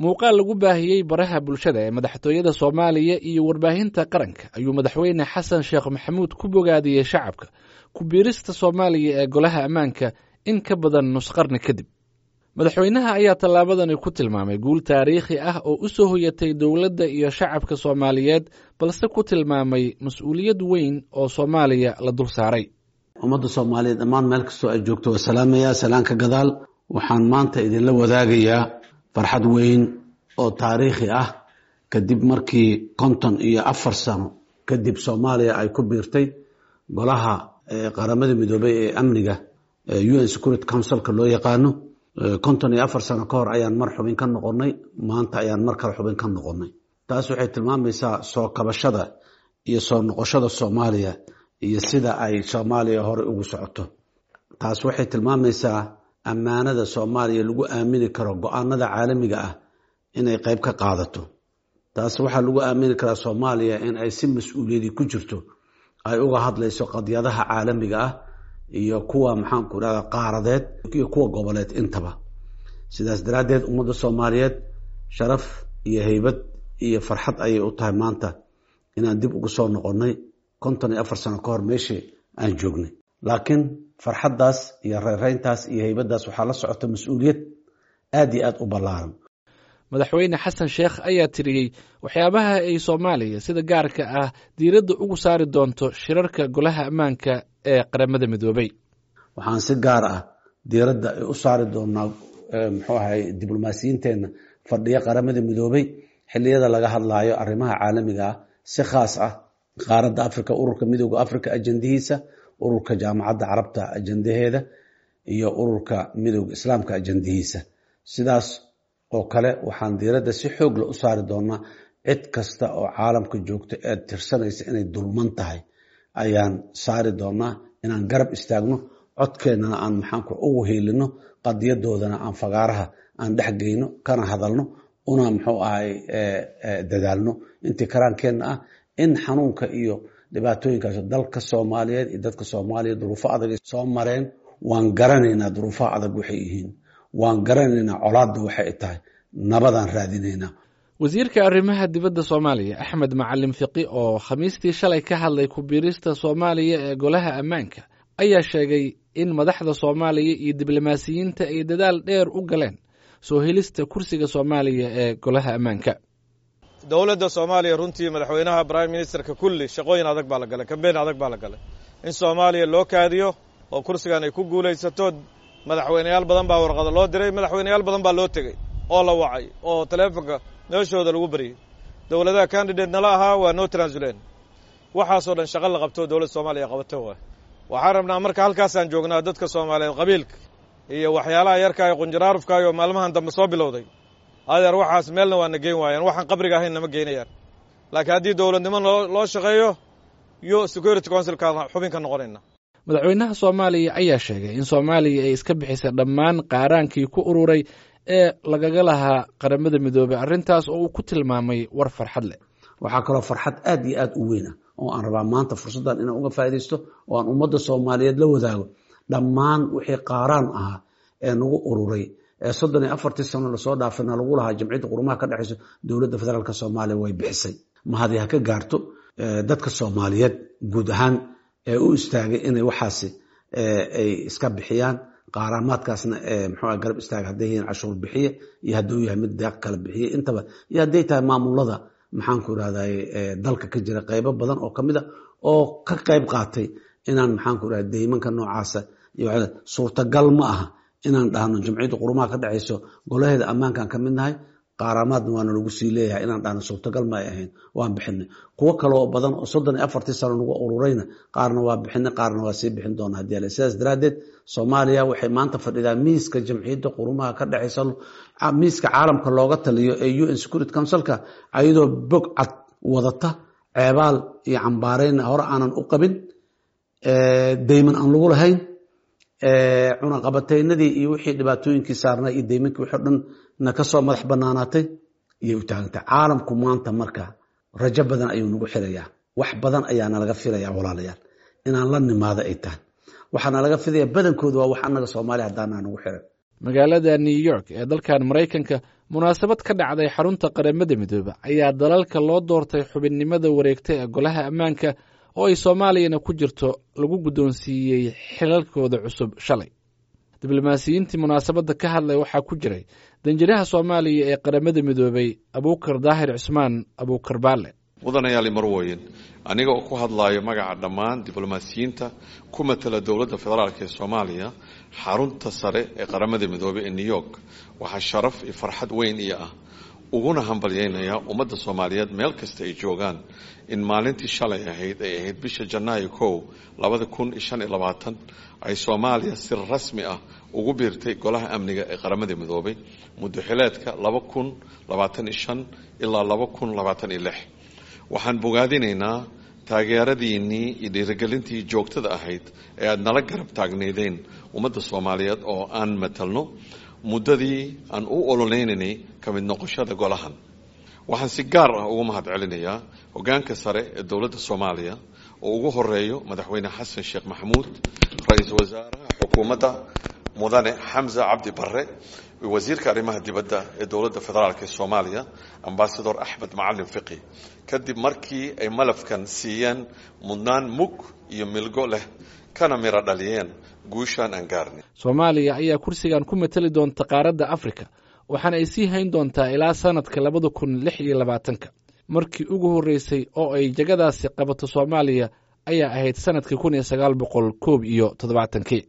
Muuqaal lagu baahiyey baraha bulshada ee madaxtooyada Soomaaliya iyo warbaahinta qaranka ayuu Madaxweyne Xasan Sheekh Maxamuud ku bogaadiyey shacabka ku biirista Soomaaliya ee Golaha Ammaanka in ka badan nus qarni kadib. Madaxweynaha ayaa tallaabadani ku tilmaamay guul taariikhi ah oo u soo hoyatay dowladda iyo shacabka Soomaaliyeed, balse ku tilmaamay mas-uuliyad weyn oo Soomaaliya la dul saaray. Ummadda Soomaaliyeed dhammaan meel kastoo ay joogto waa salaamayaa. Salaanka gadaal, waxaan maanta idinla wadaagayaa farxad weyn oo taariikhi ah kadib markii 54 sano kadib Soomaaliya ay ku biirtay golaha Qaramada Midoobay ee amniga, UN Security Councilka loo yaqaano. 54 sano ka hor ayaan mar xubin ka noqonnay, maanta ayaan mar kale xubin ka noqonnay. Taas waxay tilmaamaysaa soo kabashada iyo soo noqoshada Soomaaliya iyo sida ay Soomaaliya hore ugu socoto. Taas waxay tilmaamaysaa ammaanada Soomaaliya lagu aamini karo go-aanada caalamiga ah inay qayb ka qaadato. Taas waxaa lagu aamini karaa Soomaaliya in ay si mas-uuliyadi ku jirto ay uga hadlayso qadiyadaha caalamiga ah iyo kuwa, maxaanku irahda, qaaradeed iyo kuwa goboleed intaba. Sidaas daraaddeed, ummadda Soomaaliyeed sharaf iyo heybad iyo farxad ayay u tahay maanta inaan dib ugu soo noqonnay 54 sano ka hor meeshii aan joognay. Laakiin farxaddaas iyo reereyntaas iyo heybaddaas waxaa la socota mas-uuliyad aad iyo aad u ballaaran. Madaxweyne Xasan Sheekh ayaa tiriyey waxyaabaha ay Soomaaliya sida gaarka ah diiradda ugu saari doonto shirarka Golaha Ammaanka ee Qaramada Midoobay. Waxaan si gaar ah diiradda u saari doonaa, muxuu ahay, diblomaasiyiinteenna fadhiya Qaramada Midoobay xilliyada laga hadlaayo arrimaha caalamiga ah, si khaas ah qaaradda Africa, Ururka Midooda Africa ajandihiisa, Ururka Jaamacadda Carabta ajandaheeda iyo Ururka Midooda Islaamka ajandihiisa. Sidaas oo kale waxaan diiradda si xoogla u saari doonaa cid kasta oo caalamka joogta ee tirsanaysa inay dulman tahay ayaan saari doonaa inaan garab istaagno, codkeennana aan, maxaanku, ugu hiilino, qadiyadoodana aan fagaaraha aan dhex geyno, kana hadalno, una, muxuu ahay, dadaalno intii karaankeenna ah in xanuunka iyo dhibaatooyinkaas dalka Soomaaliyeed iyo dadka Soomaaliya duruufo adag soo mareen. Waan garanaynaa duruufaha adag waxay yihiin, waan garanaynaa colaadda waxay tahay, nabadaan raadinaynaa. Wasiirka arrimaha dibadda Soomaaliya Axmed Macalin Fiqi oo Khamiistii shalay ka hadlay ku biirista Soomaaliya ee Golaha Ammaanka ayaa sheegay in madaxda Soomaaliya iyo diblomaasiyiinta ay dadaal dheer u galeen soo helista kursiga Soomaaliya ee Golaha Ammaanka. Dowladda Soomaaliya runtii, madaxweynaha, prime ministerka, kulli shaqooyin adag baa la galay, kambeyn adag baa la galay in Soomaaliya loo kaadiyo oo kursigan ay ku guulaysato. Madaxweyneyaal badan baa warqado loo diray, madaxweyneyaal badan baa loo tegey oo la wacay oo taleefonka meeshooda lagu baryey. Dowladaha candidate nala ahaa waa noo transuleen. Waxaasoo dhan shaqo la qabto dowladda Soomaaliya qabato waay. Waxaan rabnaa marka halkaasaan joognaa dadka Soomaaliyeed qabiilka iyo waxyaalaha yarka ee qunjaraarufkaayo maalmahan dambe soo bilowday, adeer, waxaas meelna waa na geyn waayaan, waxaan qabriga ahayn nama geynayaan. Laakiin haddii dowladnimo loo shaqeeyo yo Security Councilkaan xubin ka noqonayna. Madaxweynaha Soomaaliya ayaa sheegay in Soomaaliya ay iska bixisay dhammaan qaaraankii ku ururay ee lagaga lahaa Qaramada Midoobay, arrintaas oo uu ku tilmaamay war farxad leh. Waxaa kaloo farxad aad iyo aad u weyn ah oo aan rabaa maanta fursaddan inaan uga faaidaysto oo aan ummadda Soomaaliyeed la wadaago: dhammaan wixii qaaraan ahaa ee nagu ururay ee 34-tii sano lasoo dhaafayna lagu lahaa Jamciyadda Qurumaha ka dhexayso, dowladda federaalk Soomaaliya way bixisay. Mahadi ha ka gaarto dadka Soomaaliyeed guud ahaan ee u istaagay inay waxaasi ay iska bixiyaan, qaaraamaadkaasna muxuu garab istaaga, hadday yihiin cashuur bixiye iyo hadduu yahay mid deeq kala bixiye intaba, iyo hadday tahay maamulada, maxaanku irahday, dalka ka jira qaybo badan oo kamid a oo ka qayb qaatay inaan, maxaanku irahda, deymanka noocaasa. Suurtagal ma aha inaan dhahno Jamciyadda Qurumaha ka dhexayso golaheeda ammaankaan ka mid nahay, qaaraamaadna waana lagu sii leeyahay, inaan dhahno suurtagal ma ay ahayn. Waan bixinay. Kuwo kale oo badan oo 34-tii sano nagu ururayna qaarna waa bixinay, qaarna waa sii bixin doona hadii ale. Sidaas daraaddeed Soomaaliya waxay maanta fadhidaa miiska Jamciyadda Qurumaha ka dhexaysa, miiska caalamka looga taliyo ee UN Security Councilka, ayadoo bog cad wadata, ceebaal iyo cambaareynna hore aanan u qabin, deyman aan lagu lahayn, cunaqabataynadii iyo wixii dhibaatooyinkii saarnaa iyo deymankii wixii o dhan na kasoo madax banaanaatay iyay u taagantay caalamku maanta. Marka rajo badan ayuu nagu xirayaa, wax badan ayaa nalaga filayaa, walaalayaal, inaan la nimaado ay tahay. Waxaana laga filaya badankooda waa wax annaga Soomaaliya haddaanaa nagu xiran. Magaalada New York ee dalkan Maraykanka Munaasabad ka dhacday xarunta Qaramada Midoobe ayaa dalalka loo doortay xubinnimada wareegta ee Golaha Ammaanka, oo ay Soomaaliyana ku jirto, lagu guddoonsiiyey xilalkooda cusub shalay. Diblomaasiyiintii munaasabadda ka hadlay waxaa ku jiray danjiraha Soomaaliya ee Qaramada Midoobey, Abuukar Daahir Cusmaan Abuukar Baale. Mudanayaali marwoyin, aniga oo ku hadlaayo magaca dhammaan diblomaasiyiinta ku matala dowladda federaalk ee Soomaaliya xarunta sare ee Qaramada Midoobey ee New York, waxaa sharaf iyo farxad weyn iyo ah uguna hambalyeynayaa ummadda Soomaaliyeed meel kasta ay joogaan in maalintii shalay ahayd ay ahayd bisha Janaayo 1, 2025 ay Soomaaliya si rasmi ah ugu biirtay Golaha Amniga ee Qaramada Midoobay muddo xileedka 2025 ilaa 2026. Waxaan bogaadinaynaa taageeradiinnii iyo dhiirigelintii joogtada ahayd ee aada nala garab taagnaydeen ummadda Soomaaliyeed oo aan matalno muddadii aan u ololeynaynay ka mid noqoshada golahan. Waxaan si gaar ah ugu mahad celinayaa hoggaanka sare ee dowladda Soomaaliya oo ugu horeeyo Madaxweyne Xasan Sheekh Maxamuud, ra-iisul wasaaraha xukuumadda Mudane Xamse Cabdi Barre, wasiirka arrimaha dibadda ee dowladda federaalk ee Soomaaliya, Ambasador Axmed Macalin Fiqi, kadib markii ay malafkan siiyeen mudnaan mug iyo milgo leh kana miro dhaliyeen guushaan aan gaarnay. Soomaaliya ayaa kursigan ku matali doonta qaaradda Afrika, waxaana ay sii hayn doontaa ilaa sanadka 2026-ka. Markii ugu horreysay oo ay jagadaasi qabato Soomaaliya ayaa ahayd sanadkii 1971-kii.